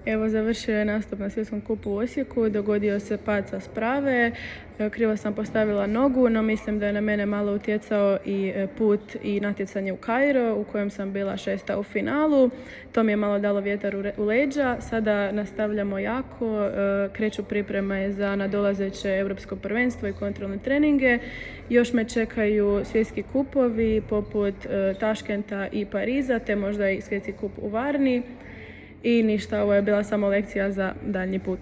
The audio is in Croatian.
Evo, završio je nastup na Svjetskom kupu u Osijeku, dogodio se pad sa sprave, krivo sam postavila nogu, no mislim da je na mene malo utjecao i put i natjecanje u Kairo, u kojem sam bila 6. u finalu. To mi je malo dalo vjetar u leđa. Sada nastavljamo jako, kreću pripreme za nadolazeće Europsko prvenstvo i kontrolne treninge. Još me čekaju svjetski kupovi poput Taškenta i Pariza, te možda i svjetski kup u Varni. I ništa, ovo je bila samo lekcija za daljnji put.